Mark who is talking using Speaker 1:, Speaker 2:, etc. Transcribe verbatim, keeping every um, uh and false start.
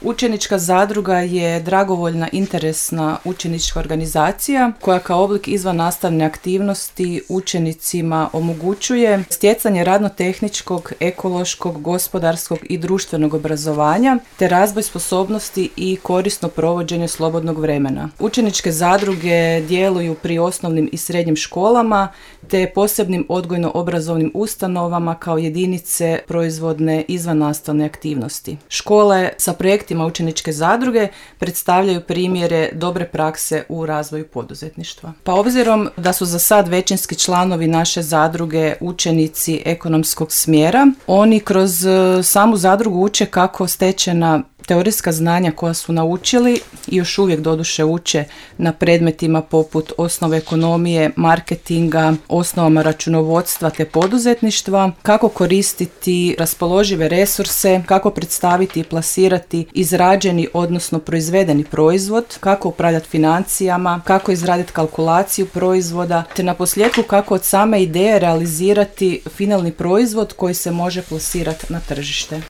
Speaker 1: Učenička zadruga je dragovoljna interesna učenička organizacija koja kao oblik izvannastavne aktivnosti učenicima omogućuje stjecanje radno-tehničkog, ekološkog, gospodarskog i društvenog obrazovanja te razvoj sposobnosti i korisno provođenje slobodnog vremena. Učeničke zadruge djeluju pri osnovnim i srednjim školama te posebnim odgojno-obrazovnim ustanovama kao jedinice proizvodne izvannastavne aktivnosti. Škole sa projektima učeničke zadruge predstavljaju primjere dobre prakse u razvoju poduzetništva. Pa obzirom da su za sad većinski članovi naše zadruge učenici ekonomskog smjera, oni kroz samu zadrugu uče kako stečena teorijska znanja koja su naučili i još uvijek doduše uče na predmetima poput osnove ekonomije, marketinga, osnovama računovodstva te poduzetništva, kako koristiti raspoložive resurse, kako predstaviti i plasirati izrađeni odnosno proizvedeni proizvod, kako upravljati financijama, kako izraditi kalkulaciju proizvoda, te na posljedku kako od same ideje realizirati finalni proizvod koji se može plasirati na tržište.